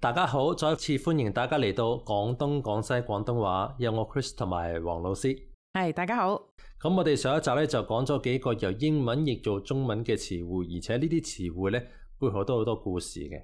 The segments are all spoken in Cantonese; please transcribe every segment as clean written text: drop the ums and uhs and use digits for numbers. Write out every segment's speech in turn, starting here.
大家好，再一次歡迎大家嚟到廣東廣西廣東話，有我 Chris 同埋黃老師。係，大家好。咁我哋上一集咧就講咗幾個由英文譯做中文嘅詞彙，而且呢啲詞彙咧背後都好多故事嘅。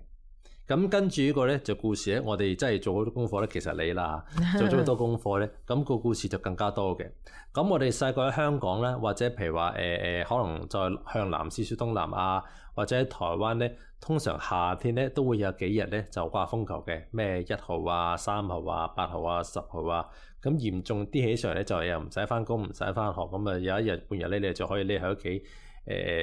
咁跟住呢個咧就故事咧，我哋真係做好多功課咧。其實你啦做咗好多功課咧，咁個故事就更加多嘅。咁我哋細個喺香港咧，或者譬如話可能再向南少少東南亞，或者喺台灣咧，通常夏天咧都會有幾日咧就掛風球嘅，咩1號啊、3號啊、8號啊、10號啊。咁嚴重啲起上嚟咧，就又唔使返工，唔使返學，咁啊有一日半日咧，你就可以匿喺屋企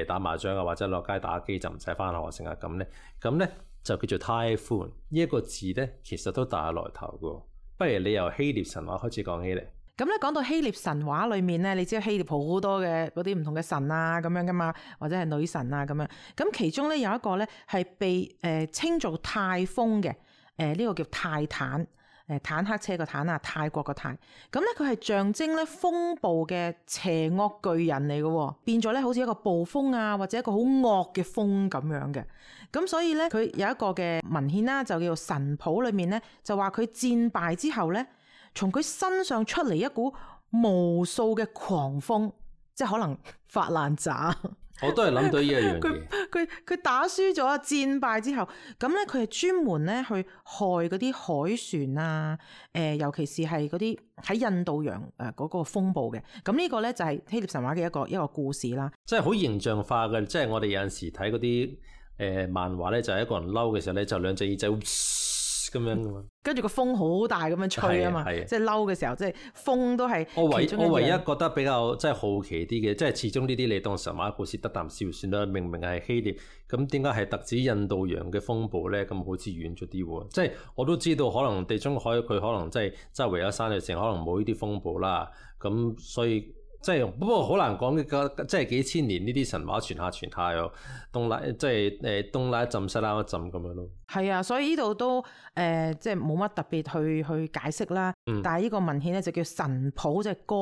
打麻將啊，或者落街打機，就唔使返學成日咁咧。咁咧就叫做 Typhoon 呢一個字咧，其實都大有來頭嘅。不如你由希臘神話開始講起嚟。咁咧講到希臘神話裏面咧，你知道希臘好多嘅嗰啲唔同嘅神啊咁樣噶嘛，或者係女神啊咁樣。咁其中咧有一個咧係被稱做泰風嘅，呢個叫泰坦。坦克車個坦啊，泰國個泰，咁咧佢係象徵咧風暴嘅邪惡巨人嚟嘅，變咗咧好似一個暴風啊，或者一個好惡嘅風咁樣嘅。咁所以咧佢有一個嘅文獻啦，就叫做神譜裏面咧，就話佢戰敗之後咧，從佢身上出嚟一股無數嘅狂風，即係可能發爛渣。我都係諗到呢一樣嘢。佢打輸咗戰敗之後，咁咧佢係專門咧去害嗰啲海船啊，尤其是係嗰啲喺印度洋嗰個風暴嘅。咁呢個咧就係希臘神話嘅一個故事啦。即係好形象化嘅，即係我哋有陣時睇嗰啲漫畫咧，就係一個人嬲嘅時候咧，就兩隻耳仔咁樣噶嘛，跟住個風好大咁樣吹啊嘛，即係嬲嘅時候，即係風都係其中一樣。我唯一覺得比較即係好奇啲嘅，即係始終呢啲你當神話故事得啖笑算啦。明明係希臘，咁點解係特指印度洋嘅風暴咧？咁好似遠咗啲喎。即係我都知道，可能地中海佢可能即係周圍有山嘅城，可能冇呢啲風暴啦。咁所以。即係不過好難講嘅，即係幾千年呢啲神話傳下又東拉，即係東拉一浸西拉一浸咁樣咯。係啊，所以呢度都即係冇乜特別去解釋啦。但係呢個文獻咧就叫神譜，即係歌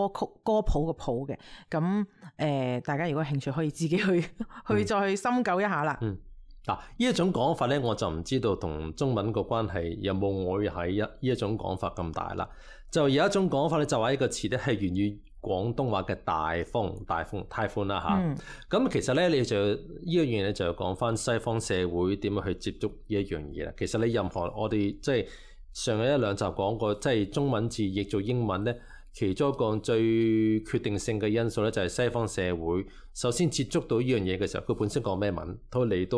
譜嘅譜嘅。咁大家如果有興趣可以自己去再去深究一下啦。嗱，呢一種講法咧，我就唔知道同中文個關係有冇我喺呢一種講法咁大啦。就有一種講法咧，就話呢個詞咧係源於廣東話嘅大風 Typhoon 啦嚇。咁其實咧，你就呢一樣嘢咧，就講翻西方社會點樣去接觸呢一樣嘢啦。其實你任何我哋即係上一兩集講過，即係中文字譯做英文咧。其中一個最決定性嘅因素咧，就係西方社會首先接觸到呢樣嘢嘅時候，佢本身講咩文，佢嚟到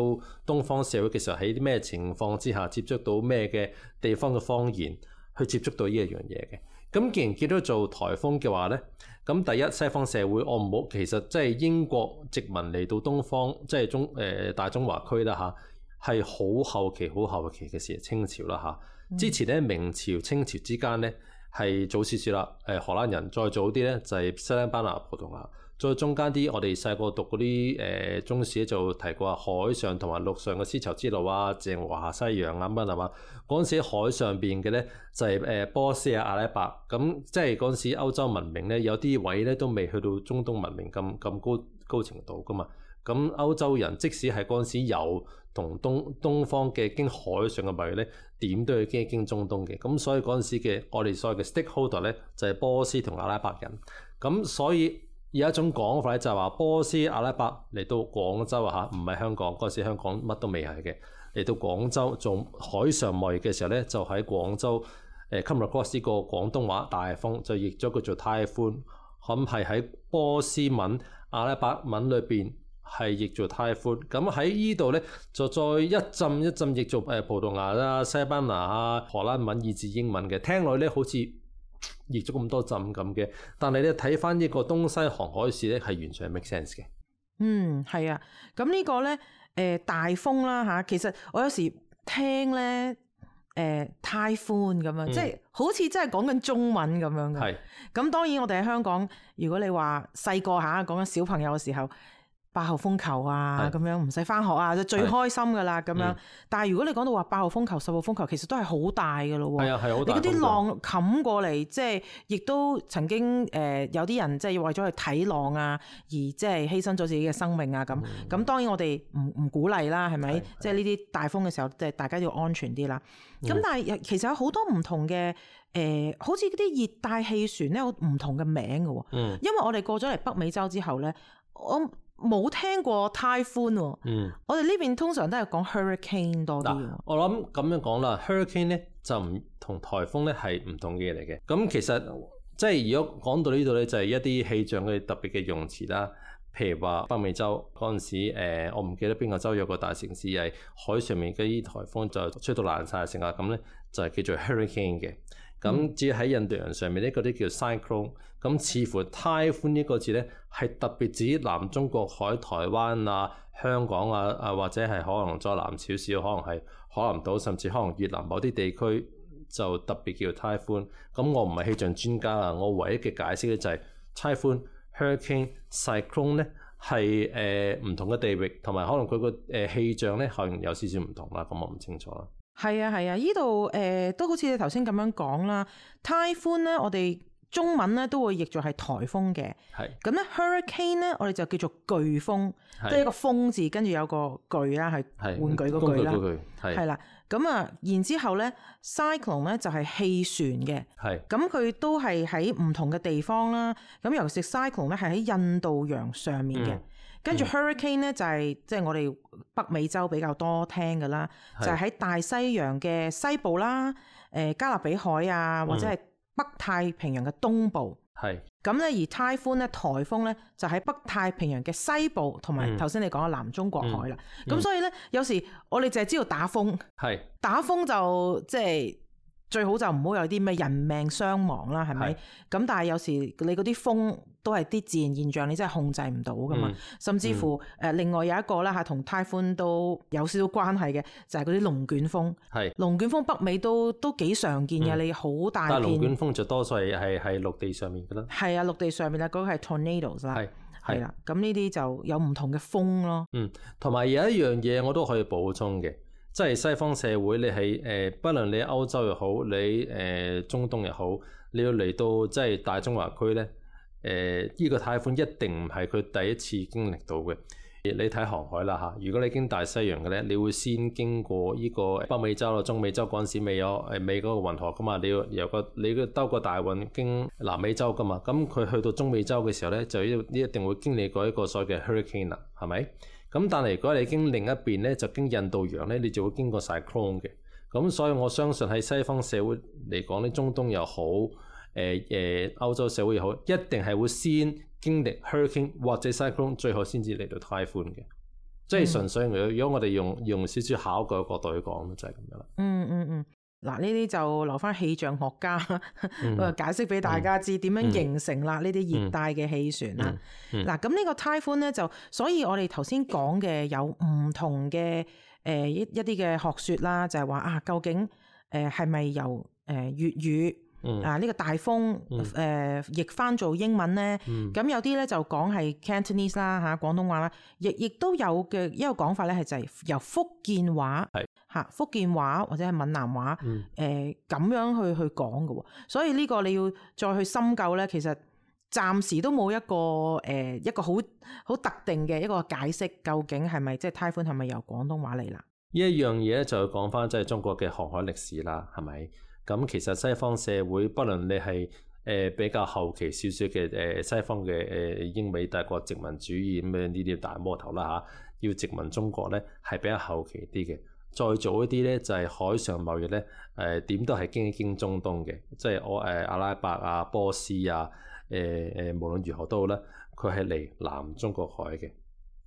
東方社會嘅時候，喺啲咩情況之下接觸到咩嘅地方嘅方言，去接觸到呢一樣嘢嘅。咁既然叫咗做颱風嘅話咧，咁第一西方社會我唔好，其實即係英國殖民嚟到東方，即係大中華區啦嚇，係好後期嘅事，清朝啦嚇。之前咧明朝清朝之間咧。係早少少啦，荷蘭人再早啲咧就係西班牙、葡萄牙，再中間啲我哋細個讀嗰啲中史咧就提過海上同埋陸上嘅絲綢之路啊、鄭和下西洋啊咁係嘛？嗰陣時海上邊嘅咧就係波斯啊、阿拉伯，咁即係嗰陣時歐洲文明咧有啲位咧都未去到中東文明咁高程度噶嘛。咁歐洲人即使係嗰陣時有同東方嘅經海上嘅貿易咧，點都要經中東嘅。咁所以嗰陣時嘅我哋所謂嘅 stakeholder 咧，就係波斯同阿拉伯人。咁所以有一種講法咧，就係話波斯阿拉伯嚟到廣州啊嚇，唔係香港嗰陣時，香港乜都未係嘅。嚟到廣州做海上貿易嘅時候咧，就喺廣州come across 呢個廣東話大風，就譯咗佢做 Typhoon。咁係喺波斯文、阿拉伯文裏邊。係譯做 Typhoon，咁喺呢度咧就再一浸譯做葡萄牙啦、西班牙啊、荷蘭文以至英文嘅，聽落咧好似譯咗咁多浸咁嘅，但係咧睇翻呢個東西航海史咧係完全係 make sense 嘅。係啊，咁呢個咧大風啦嚇，其實我有時聽咧Typhoon 咁樣，即係好似真係講緊中文咁樣嘅。咁當然我哋喺香港，如果你話細個嚇講緊小朋友嘅時候。8號風球啊，咁樣唔使返學啊，就最開心噶啦咁樣。但係如果你講到話8號風球、10號風球，其實都係好大噶咯喎。係啊，係好大。你嗰啲浪冚過嚟，即係亦都曾經有啲人即係為咗去睇浪啊，而即係犧牲咗自己嘅生命啊咁。咁當然我哋唔鼓勵啦，係咪？即係呢啲大風嘅時候，即係大家要安全啲啦。咁但係其實有好多唔同嘅好似嗰啲熱帶氣旋咧，有唔同嘅名嘅喎。因為我哋過咗嚟北美洲之後咧，我冇聽過 typhoon 喎。我哋呢邊通常都係講 hurricane 多啲。我諗咁樣講啦 ，hurricane 咧就唔同颱風咧係唔同嘅嘢嚟嘅。咁其實即係如果講到呢度咧，就係一啲氣象嘅特別嘅用詞啦。譬如話北美洲嗰陣時，我唔記得邊個州有個大城市係海上面嗰啲颱風就吹到爛晒成啊，咁咧就係叫做 hurricane 嘅。咁至於喺印度洋上面呢，嗰啲叫 cyclone。咁似乎 typhoon 呢個字咧係特別指南中國海、台灣啊、香港啊，或者係可能再南少少，可能係海南島，甚至可能越南某啲地區就特別叫 typhoon。咁我唔係氣象專家啊，我唯一嘅解釋咧就係 typhoon、hurricane、cyclone 咧係唔同嘅地域，同埋可能佢個氣象咧可能有少少唔同啦。咁我唔清楚啦。係啊係啊，呢度都好似你頭先咁樣講啦。typhoon 咧，我哋中文咧都會譯作係颱風嘅。係。咁咧 hurricane 咧，我哋就叫做颶風，即係一個風字跟住有個巨啦，係玩具嗰句啦。係啦。咁啊，然之後咧 cyclone 咧就係氣旋嘅。係。咁佢都係喺唔同嘅地方啦。咁尤其是 cyclone 咧係喺印度洋上面嘅。跟住 hurricane 咧就係即係我哋北美洲比較多聽嘅啦，就係喺大西洋嘅西部啦，加勒比海啊，或者係北太平洋嘅東部。係咁咧，而 typhoon 咧颱風咧就喺北太平洋嘅西部，同埋頭先你講嘅南中國海啦。咁所以咧有時我哋淨係知道打風，打風就即係最好就唔好有啲咩人命傷亡啦，係咪？咁但係有時你嗰啲風都係啲自然現象，你真係控制唔到噶嘛。甚至乎另外有一個啦嚇，同 typhoon 都有少少關係嘅，就係嗰啲龍捲風。係龍捲風北美都幾常見嘅，你好大片。但係龍捲風就多數係陸地上面噶啦。係啊，陸地上面啦，嗰個係 tornadoes 啦。係啦，咁呢啲就有唔同嘅風咯。同埋有一樣嘢我都可以補充嘅。即係西方社會，你係不論你歐洲又好，你中東又好，你要嚟到即係大中華區咧，呢個颱風一定唔係佢第一次經歷到嘅。你睇航海啦嚇，如果你經大西洋嘅咧，你會先經過呢個北美洲啦、中美洲嗰陣時未有未嗰個運河噶嘛，你要兜個大運經南美洲噶嘛，咁佢去到中美洲嘅時候咧，就一定會經歷過一個所謂嘅 hurricane 啦，係咪？咁但係如果你經另一邊咧，就經印度洋咧，你就會經過 cyclone 嘅。咁所以我相信喺西方社會嚟講咧，中東又好，歐洲社會又好，一定係會先經歷 hurricane 或者 cyclone， 最後先至嚟到 typhoon 嘅。即係純粹如果我哋用少少考據嘅角度去講，就係咁樣啦。嗱，呢啲就留翻氣象學家解釋俾大家知點樣形成啦呢啲熱帶嘅氣旋啦。嗱，咁呢個 typhoon 咧就，所以我哋頭先講嘅有唔同嘅一啲嘅學説啦，就係話啊，究竟係咪由粵語呢個大風譯翻做英文咧？咁有啲咧就講係 Cantonese 啦嚇，廣東話啦，亦都有嘅一個講法咧，係就係由福建話。福建話或者係閩南話，咁樣去講嘅喎，所以呢個你要再去深究咧，其實暫時都冇一個好特定嘅一個解釋，究竟係咪即係 typhoon 係咪由廣東話嚟啦？呢一樣嘢咧就要講翻即係中國嘅航海歷史啦，係咪？咁其實西方社會，不論你係比較後期少少嘅西方嘅英美帝國殖民主義咁樣呢啲大魔頭啦嚇，要殖民中國咧係比較後期啲嘅。再早一啲咧，就係海上貿易咧，點都係經中東嘅，即係阿拉伯啊、波斯啊，無論如何都好啦，佢係嚟南中國海嘅，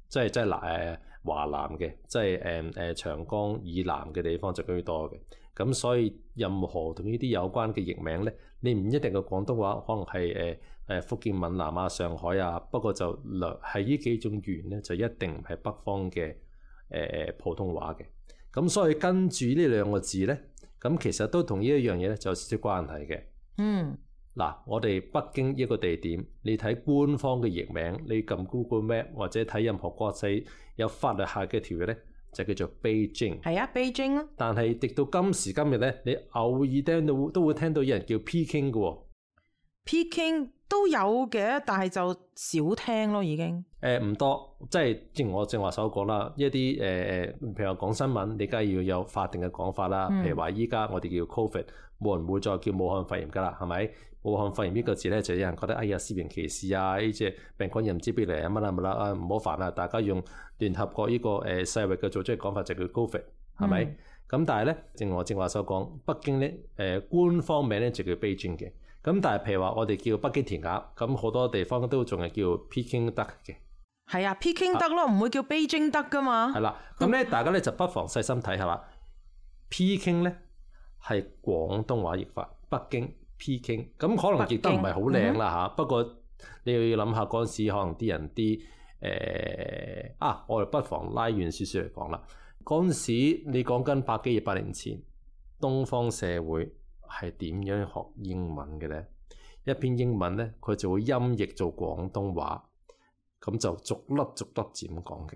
即係華南嘅，即係長江以南嘅地方就居多嘅。咁所以任何同呢啲有關嘅譯名咧，你唔一定嘅廣東話，可能係福建閩南啊、上海啊，不過就係呢幾種語言咧，就一定唔係北方嘅普通話嘅。咁所以跟住呢兩個字咧，咁其實都同呢一樣嘢咧就有少少關係嘅。嗱，我哋北京一個地點，你睇官方嘅譯名，你撳 Google Map 或者睇任何國際有法律下嘅條約咧，就叫做 Beijing。係啊，Beijing 咯。但係直到今時今日咧，你偶爾聽到都會聽到有人叫 Peking 嘅喎。Peking 都有嘅，但係就少聽咯，已經。唔多，即係正如我正話所講啦，一啲譬如話講新聞，你梗係要有法定嘅講法啦。譬如話依家我哋叫 Covid，冇人會再叫武漢肺炎㗎啦，係咪？武漢肺炎呢個字咧，就有人覺得哎呀私刑歧視啊，呢隻病菌又唔知邊嚟啊乜啦乜啦啊，唔好煩啊！大家用聯合國呢個世衛嘅組織嘅講法就叫 Covid， 係咪？咁但係咧，正如我正話所講，北京咧官方名咧就叫 Beijing 嘅。咁但係譬如話我哋叫北京填鴨，咁好多地方都仲係叫 Peking duck 嘅。係啊，Peking duck咯，唔會叫 Beijing duck 噶嘛。係啦，咁咧大家咧就不妨細心睇下啦。Peking 咧係廣東話譯法，北京 Peking， 咁可能譯得唔係好靚啦嚇。不過你要諗下嗰陣時，可能啲人我哋不妨拉遠少少嚟講啦。嗰陣時你講緊百幾200年前，東方社會係點樣學英文嘅咧？一篇英文咧，佢就會音譯做廣東話，咁就逐粒逐粒字咁講嘅。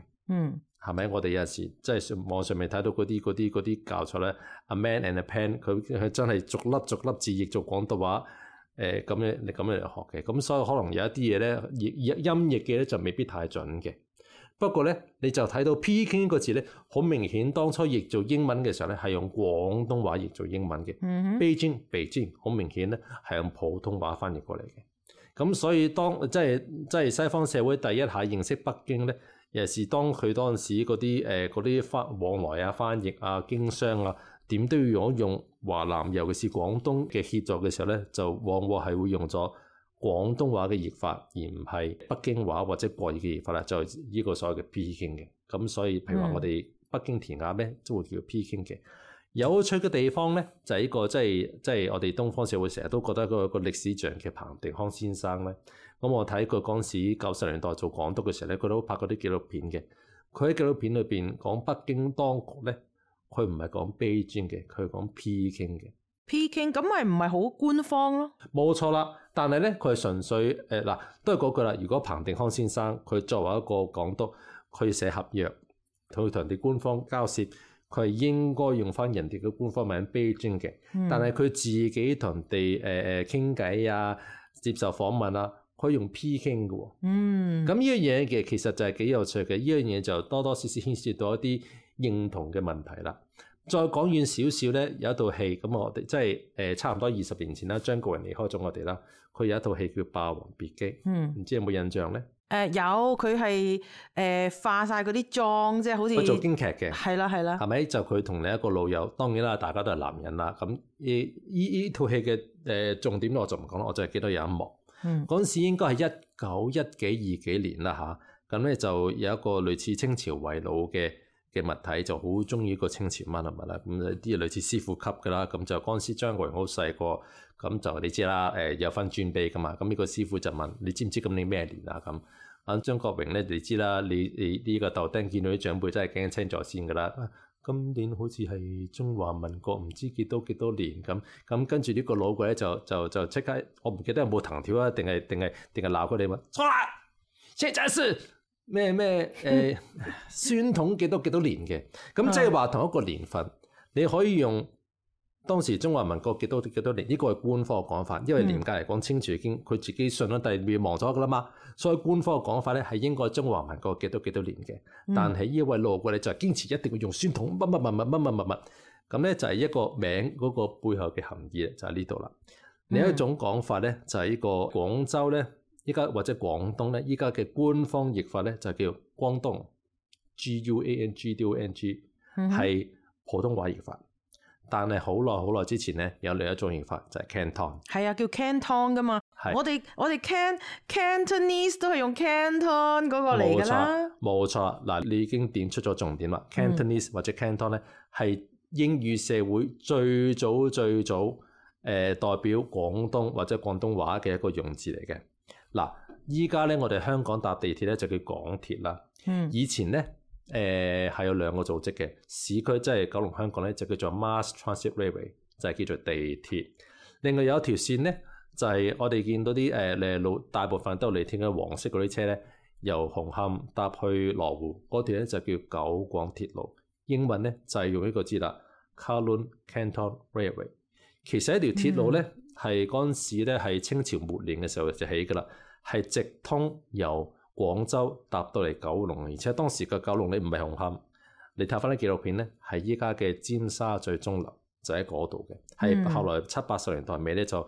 係咪？我哋有陣時即係網上面睇到嗰啲教材咧，A man and a pen， 佢真係逐粒逐粒字譯做廣東話，咁樣嚟學嘅。咁所以可能有一啲嘢咧，音譯嘅咧就未必太準嘅。不過咧，你就睇到 Peking 呢個字咧，好明顯當初譯做英文嘅時候咧，係用廣東話譯做英文嘅。Beijing 好明顯咧係用普通話翻譯過嚟嘅。咁所以當即係西方社會第一下認識北京咧，尤其是當佢當時嗰啲往來啊、翻譯啊、經商啊，點都要用華南，尤其是廣東嘅協助嘅時候咧，就往往係會用咗廣東話嘅譯法，而唔係北京話或者國語嘅譯法啦，就係呢個所謂嘅 Peking 嘅。咁所以譬如話我哋北京填鴨咧，都會叫 Peking 嘅。有趣嘅地方咧，就係呢個即係我哋東方社會成日都覺得個歷史上嘅彭定康先生咧。咁我睇佢嗰陣時90年代做港督嘅時候咧，佢都拍過啲紀錄片嘅。佢喺紀錄片裏邊講北京當局咧，佢唔係講 Beijing 嘅，佢係講 Peking 嘅。Peking 咁咪唔係好官方咯？冇錯啦，但係咧佢係純粹都係嗰句啦。如果彭定康先生佢作為一個港督，佢寫合約，佢同人哋官方交涉，佢係應該用翻人哋嘅官方名 Beijing 嘅。但係佢自己同人哋傾偈啊、接受訪問啊，可以用 Peking 嘅喎。咁呢樣嘢嘅其實就係幾有趣嘅。呢樣嘢就多多少少牽涉到一啲認同嘅問題啦。再講遠少少咧，有一套戲咁我哋即係差唔多20年前啦，張國榮離開咗我哋啦。佢有一套戲叫《霸王別姬》，唔知有冇印象咧？有，佢係化晒嗰啲妝，即係好似做京劇嘅，係啦，係咪？就佢同另一個老友，當然啦，大家都係男人啦。咁呢套戲嘅重點我就唔講啦，我就係記得有一幕。嗰陣時應該係1910幾20幾年啦嚇。咁咧就有一個類似清朝遺老嘅物體，就好中意一個清朝乜物啦。咁啲類似師傅級㗎啦。咁就嗰陣時張國榮好細個，咁就你知啦，有分尊卑㗎嘛。咁呢個師傅就問：你知唔知今年咩年啊？咁張國榮咧，你知啦，你呢個豆丁見到啲長輩真係驚青咗先㗎啦。今年好似係中華民國唔知幾多年咁，跟住呢個老鬼咧就即刻，我唔記得有冇藤條啊，定係鬧佢哋嘛？錯啦，現在是咩宣統幾多年嘅，咁即係話同一個年份，你可以用當時中華民國幾多年，呢個係官方嘅講法，因為嚴格嚟講，清朝已經佢自己信咗，但係滅亡咗㗎啦嘛，所以官方嘅講法咧係應該中華民國幾多年嘅。但係呢位老鬼咧就係堅持一定要用宣統乜，咁咧就係一個名嗰個背後嘅含義就喺呢度啦。另一種講法咧就係呢個廣州咧，依家或者廣東咧，依家嘅官方譯法咧就叫光東 GUANG，係普通話譯法。但係好耐之前咧，有另一種譯法就係 Canton， 係啊，叫 Canton 噶嘛。我哋 Cantonese 都係用 Canton 嗰個嚟㗎啦。冇錯，嗱，你已經點出咗重點啦。Cantonese 或者 Canton 咧係英語社會最早代表廣東或者廣東話嘅一個用字嚟嘅。嗱，依家咧我哋香港搭地鐵咧就叫港鐵啦。以前咧係有兩個組織嘅，市區即係九龍香港咧就叫做 Mass Transit Railway， 就係叫做地鐵。另外有一條線咧就係我哋見到啲路大部分都嚟聽嘅黃色嗰啲車咧，由紅磡搭去羅湖嗰段咧就叫九廣鐵路，英文咧就係用呢個字啦 ，Kowloon Canton Railway。其實一條鐵路咧係嗰陣時咧係清朝末年嘅時候就起㗎啦，係直通由廣州搭到嚟九龍，而且當時嘅九龍你唔係紅磡，你睇翻啲紀錄片咧係依家嘅尖沙咀鐘樓。就喺嗰度嘅，係後來70、80年代尾咧就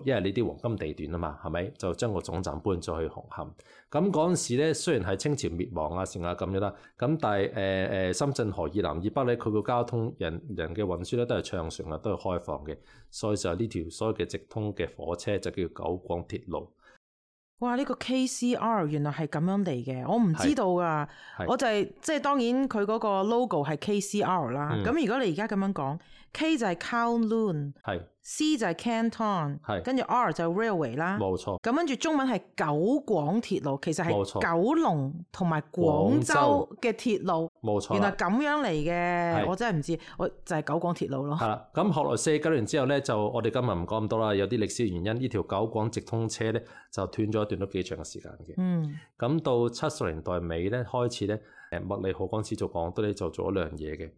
因為呢啲黃金地段啊嘛，係咪就將個總站搬咗去紅磡？咁嗰陣時咧，雖然係清朝滅亡啊，成啊咁樣啦，咁但係深圳河以南以北咧，佢個交通人嘅運輸咧都係暢順啊，都係開放嘅，所以就呢條所謂嘅直通嘅火車就叫九廣鐵路。哇！呢個 KCR 原來係咁樣嚟嘅，我唔知道㗎。我就係即係當然佢嗰個 logo 係 KCR 啦。咁如果你而家咁樣講，K 就係 Kowloon， C 就係 Canton， 跟住 R 就係 Railway 啦。冇錯。咁跟住中文係九廣鐵路，其實係九龍同埋廣州嘅鐵路。冇錯。原來咁樣嚟嘅，我真係唔知，我就係九廣鐵路咯。係啦。咁後來49年之後咧，就我哋今日唔講咁多啦，有啲歷史原因，呢條九廣直通車咧就斷咗一段都幾長嘅時間嘅。咁到70年代尾咧開始咧，麥理浩嗰陣時做港督咧就做咗兩樣嘢嘅，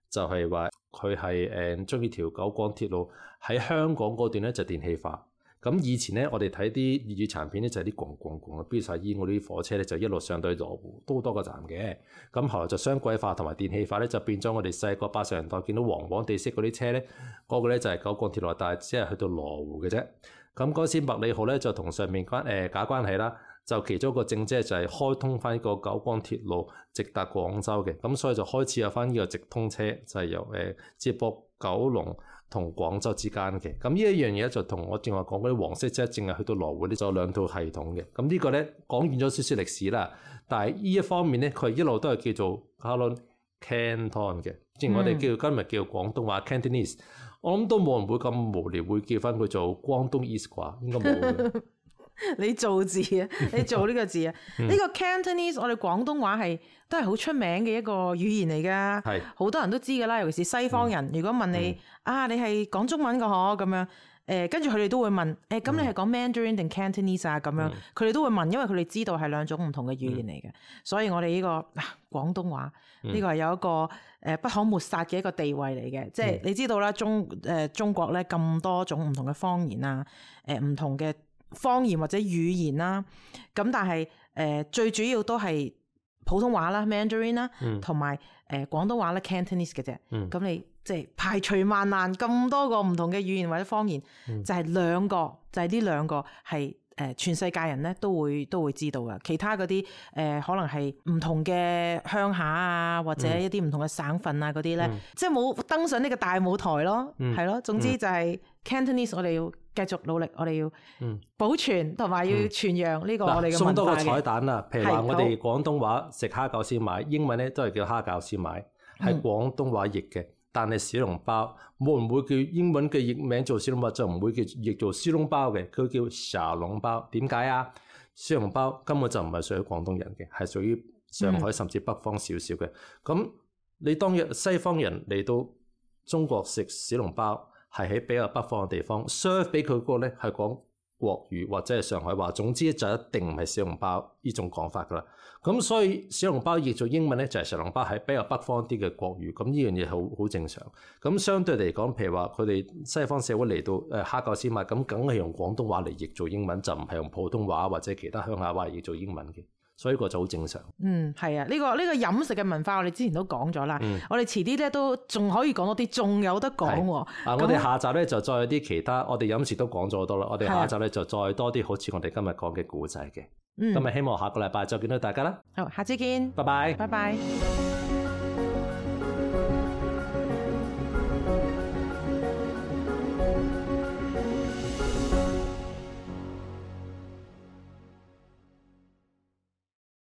就係話佢係將呢條九廣鐵路喺香港嗰段咧就電氣化。咁以前咧我哋睇啲粵語殘片咧就係啲咣嘅，飆晒煙嗰啲火車咧就一路上到去羅湖都好多個站嘅。咁後來就雙軌化同埋電氣化咧就變咗我哋細個80年代見到黃黃地色嗰啲車咧，嗰個咧就係九廣鐵路，但係只係去到羅湖嘅啫。咁嗰時麥理浩咧就同上面假關係啦，就其中一個政績就係開通翻呢個九廣鐵路直達廣州嘅，咁所以就開始有翻呢個直通車，就係由接駁九龍同廣州之間嘅。咁呢一樣嘢就同我正話講嗰啲黃色車淨係去到羅湖呢，就有兩套系統嘅。咁呢個咧講完咗少少歷史啦，但係呢一方面咧佢一路都係叫做 Kowloon Canton 嘅，即係我哋今日叫廣東話 Cantonese。我諗都冇人會咁無聊會叫翻佢做廣東 East 啩，應該冇嘅。你做字啊，你做呢個字啊，呢個 Cantonese 我哋廣東話係都係好出名嘅一個語言嚟㗎，係好多人都知㗎啦，尤其是西方人。如果問你你係講中文㗎嗬咁樣，跟住佢哋都會問咁你係講 Mandarin 定 Cantonese 啊咁樣，佢哋都會問，因為佢哋知道係兩種唔同嘅語言嚟嘅，所以我哋呢個廣東話呢個係有一個不可抹殺嘅一個地位嚟嘅，即係你知道啦，中國咧咁多種唔同嘅方言啊，唔同嘅方言或者語言啦，咁但係最主要都係普通話啦 Mandarin 啦，同埋廣東話咧 Cantonese 嘅啫。咁你即係排除萬難咁多個唔同嘅語言或者方言，就係兩個，就係呢兩個係全世界人咧都會知道㗎。其他嗰啲可能係唔同嘅鄉下啊，或者一啲唔同嘅省份啊嗰啲咧，即係冇登上呢個大舞台咯，係咯。總之就係 Cantonese，我哋要繼續努力，我哋要保存同埋要傳揚呢個我哋嘅文化嘅。送多個彩蛋啦，譬如話我哋廣東話食蝦餃先買，英文咧都係叫蝦餃先買，係廣東話譯嘅。但係小籠包冇人會叫英文嘅譯名做小籠包，就唔會叫譯做小籠包嘅，佢叫小籠包。點解啊？小籠包根本就唔係屬於廣東人嘅，係屬於上海甚至北方少少嘅。咁你當日西方人嚟到中國食小籠包，係喺比較北方嘅地方 serve 俾佢嗰個咧係講國語或者係上海話，總之就一定唔係小籠包呢種講法噶啦。咁所以小籠包譯做英文咧就係小籠包，係比較北方啲嘅國語。咁呢樣嘢好正常。咁相對嚟講，譬如話佢哋西方社會嚟到蝦餃先賣，咁梗係用廣東話嚟譯做英文，就唔係用普通話或者其他鄉下話嚟譯做英文嘅。所以個就好正常。係啊，呢個飲食嘅文化我哋之前都講咗啦。我哋遲啲咧都仲可以講多啲，仲有得講喎。我哋下集咧就再有啲其他，我哋飲食都講咗好多啦。我哋下集咧就再多啲好似我哋今日講嘅故仔嘅。今日希望下個禮拜再見到大家啦。好，下次見。拜拜。拜拜。